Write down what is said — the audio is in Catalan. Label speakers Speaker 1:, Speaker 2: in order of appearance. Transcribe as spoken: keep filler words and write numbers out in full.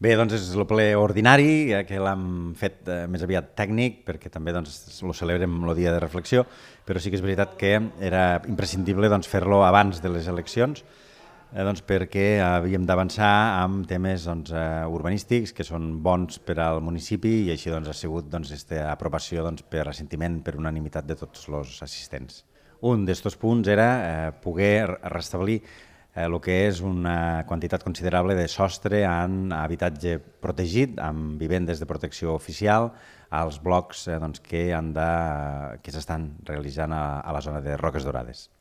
Speaker 1: Bé, doncs és el ple ordinari, eh, que l'hem fet eh, més aviat tècnic, perquè també doncs, lo celebrem el dia de reflexió, però sí que és veritat que era imprescindible doncs, fer-lo abans de les eleccions, eh, doncs, perquè havíem d'avançar amb temes doncs, eh, urbanístics que són bons per al municipi i així doncs, ha sigut doncs, esta aprovació doncs, per assentiment, per unanimitat de tots els assistents. Un d'estos punts era eh, poder restablir el que és una quantitat considerable de sostre en habitatge protegit, amb vivendes de protecció oficial, als blocs eh, doncs, que, han de, que s'estan realitzant a, a la zona de Roques Dorades.